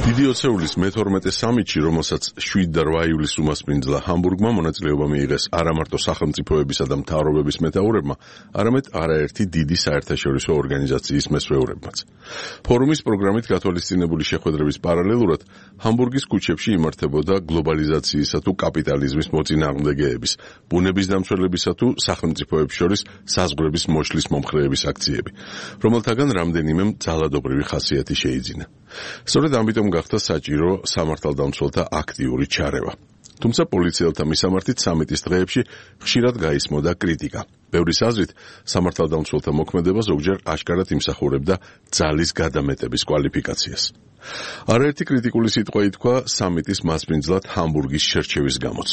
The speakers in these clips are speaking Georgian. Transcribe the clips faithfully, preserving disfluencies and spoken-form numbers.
დიდი ოცეულის მეთორმეტე სამიტში, რომელსაც შვიდ და რვა ივლისს უმასპინძლა ჰამბურგმა, მონაწილეობა მიიღეს არა მარტო სახელმწიფოებისა და მთავრობების მეთაურებმა, არამედ არაერთი დიდი საერთაშორისო ორგანიზაციის მესვეურებმაც. ფორუმის პროგრამით გათვალისწინებული შეხვედრების პარალელურად ჰამბურგის ქუჩებში იმართებოდა გლობალიზაციისა თუ კაპიტალიზმის მოწინააღმდეგეების, ბუნების დამცველებისა თუ სახელმწიფოებს შორის საზღვრების მოშლის მომხრეების აქციები, რომელთაგან რამდენიმემ ძალადობრივი ხასიათი შეიძინა. სწორედ ამიტომ გახდა საჭირო სამართალდამცველთა აქტიური ჩარევა. თუმცა პოლიციელთა მისამართით სამიტის დღეებში ხშირად გაისმოდა კრიტიკა. ბევრის აზრით, სამართალდამცველთა მოქმედება ზოგჯერ აშკარად იმსახურებდა ძალის გადამეტების კვალიფიკაციას. არაერთი კრიტიკული სიტყვა ითქვა სამიტის მასპინძლად ჰამბურგის შერჩევის გამოც.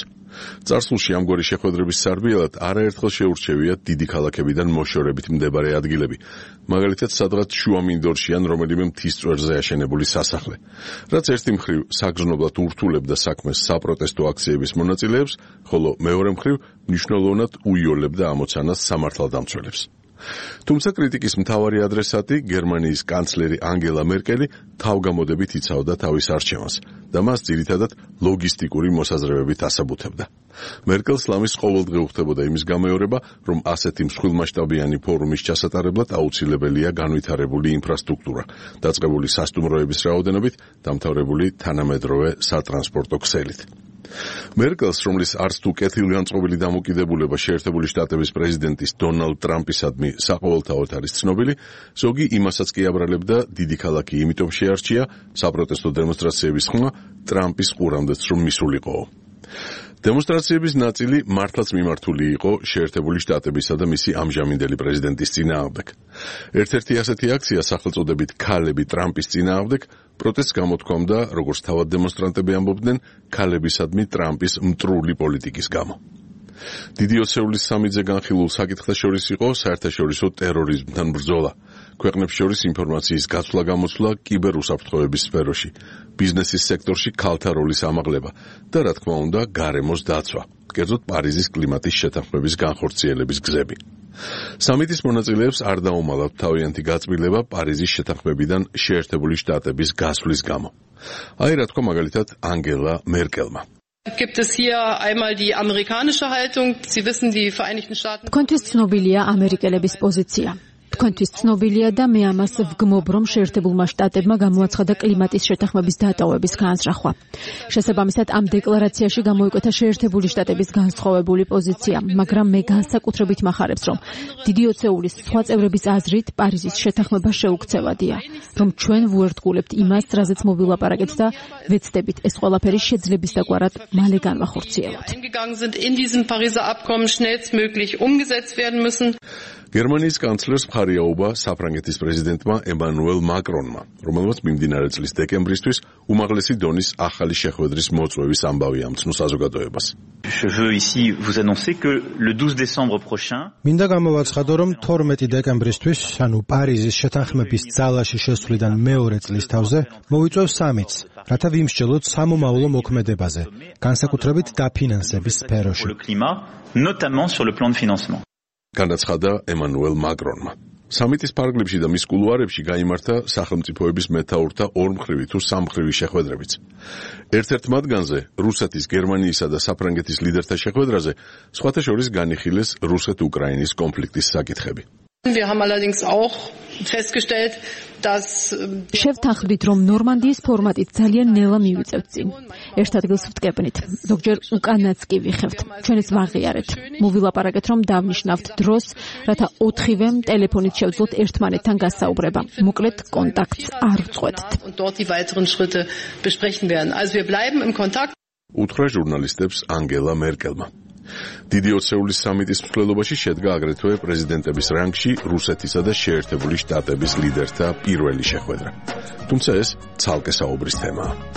წარსულში ამგვარი შეხვედრების სარბიელად არაერთხელ შეურჩევია დიდი ქალაქებიდან მოშორებით მდებარე ადგილები, მაგალითად სადღაც შუამინდორში ან რომელიმე მთის წვერზე აშენებული სასახლე, რაც ერთი მხრივ საგრძნობლად ურთულებდა საქმეს საპროტესტო აქციების მონაწილეებს, ხოლო მეორე მხრივ მნიშვნელოვნად უიოლებდა ამოცანას სამართალდამცველებს. თუმცა კრიტიკის მთავარი ადრესატი, გერმანიის კანცლერი ანგელა მერკელი, თავგამოდებით იცავდა თავის არჩევანს და მას ძირითადად ლოგისტიკური მოსაზრებებით ასაბუთებდა. მერკელს ლამის ყოველდღე უხდებოდა იმის გამეორება, რომ ასეთი მსხვილმასშტაბიანი ფორუმის ჩასატარებლად აუცილებელია განვითარებული ინფრასტრუქტურა, დაწყებული სასტუმროების რაოდენობით, დამთავრებული თანამედროვე სატრანსპორტო ქსელით. მერკელს, რომლის არც თუ კეთილგანწყობილი დამოკიდებულება შეერთებული შტატების პრეზიდენტის დონალდ ტრამპისადმი საყოველთაოდ არის ცნობილი, ზოგი იმასაც კი აბრალებდა, დიდი ქალაქი იმიტომ შეარჩია, საპროტესტო დემონსტრაციების ხმა ტრამპის ყურამდეც რომ მისულიყო. დემონსტრაციების ნაწილი მართლაც მიმართული იყო შეერთებული შტატებისა და მისი ამჟამინდელი პრეზიდენტის წინააღმდეგ. ერთ-ერთი ასეთი აქცია სახელწოდებით ქალები ტრამპის წინააღმდეგ პროტესტს გამოთქვამდა, როგორც თავად დემონსტრანტები ამბობდნენ, ქალებისადმი ტრამპის მტრული პოლიტიკის გამო. დიდი ოცეულის სამიტზე განხილულ საკითხთა შორის იყო საერთაშორისო ტერორიზმთან ბრძოლა, ქვეყნებს შორის ინფორმაციის გაცვლა-გამოცვლა კიბერუსაფრთხოების სფეროში, ბიზნესის სექტორში ქალთა როლის ამაღლება და რა თქმა უნდა გარემოს დაცვა, კერძოდ პარიზის კლიმატის შეთანხმების განხორციელების გზები. სამიტის მონაწილეებს არ დაუმალავთ თავიანთი გაწმილება პარიზის შეთანხმებიდან შეერთებული შტატების გასვლის გამო. აი რა თქვა მაგალითად ანგელა მერკელმა. Gibt es hier einmal die amerikanische Haltung? Sie wissen, die Vereinigten Staaten. Თქვენთვის ცნობილია ამერიკელების პოზიცია. თქვენთვის ცნობილია და მე ამას ვგმობ, რომ შეერთებულმა შტატებმა გამოაცხადა კლიმატის შეთანხმების დატოვების განზრახვა. შესაბამისად, ამ დეკლარაციაში გამოიკვეთა შეერთებული შტატების განსხვავებული პოზიცია, მაგრამ მე განსაკუთრებით მახარებს, რომ დიდი ოცეულის სხვა წევრების აზრით პარიზის შეთანხმება შეუქცევადია, რომ ჩვენ ვუერთგულებთ იმას, რაზეც მოვილაპარაკეთ და ვეცდებით ეს ყველაფერი შეძლების დაგვარად მალე განვახორციელოთ. გერმანიის კანცლერს მხარი აუღა საფრანგეთის პრეზიდენტმა ემანუელ მაკრონმა, რომელმაც მიმდინარე წლის დეკემბრისთვის უმაღლესი დონის ახალი შეხვედრის მოწვევის ამბავი ამცნო საზოგადოებას. მინდა გამოვაცხადო, რომ თორმეტი დეკემბრისთვის, ანუ პარიზის შეთანხმების ძალაში შესვლიდან მეორე წლის თავზე, მოვიწვევ სამიტს, რათა ვიმსჯელოთ სამომავლო მოქმედებაზე, განსაკუთრებით დაფინანსების სფეროში. განაცხადა ემანუელ მაკრონმა. სამიტის ფარგლებში და მის კულუარებში გაიმართა სახელმწიფოების მეთაურთა ორმხრივი თუ სამმხრივი შეხვედრებიც. ერთ-ერთ მათგანზე, რუსეთის, გერმანიისა და საფრანგეთის ლიდერთა შეხვედრაზე, სხვათა შორის განიხილეს რუსეთ-უკრაინის კონფლიქტის საკითხები. Wir haben allerdings auch festgestellt, dass შევთანხმდით, რომ ნორმანდიის ფორმატით ძალიან ნელა მივიწევთ წინ. ერთ ადგილს ვტკეპნით, ზოგჯერ უკანაც კი ვიხევთ. ჩვენ ეს ვაღიარეთ. მოვილაპარაკეთ, რომ დავნიშნავთ დროს, რათა ოთხივემ ტელეფონით შევძლოთ ერთმანეთთან გასაუბრება. მოკლედ კონტაქტს არ ვწყვეტთ. und dort die weiteren Schritte besprechen werden. Also wir bleiben im Kontakt. უთხრა ჟურნალისტებს ანგელა მერკელმა. დიდი ოცეულის სამიტის მსვლელობაში შედგა აგრეთვე პრეზიდენტების რანგში რუსეთისა და შეერთებული შტატების ლიდერთა პირველი შეხვედრა. თუმცა ეს ცალკე საუბრის თემაა.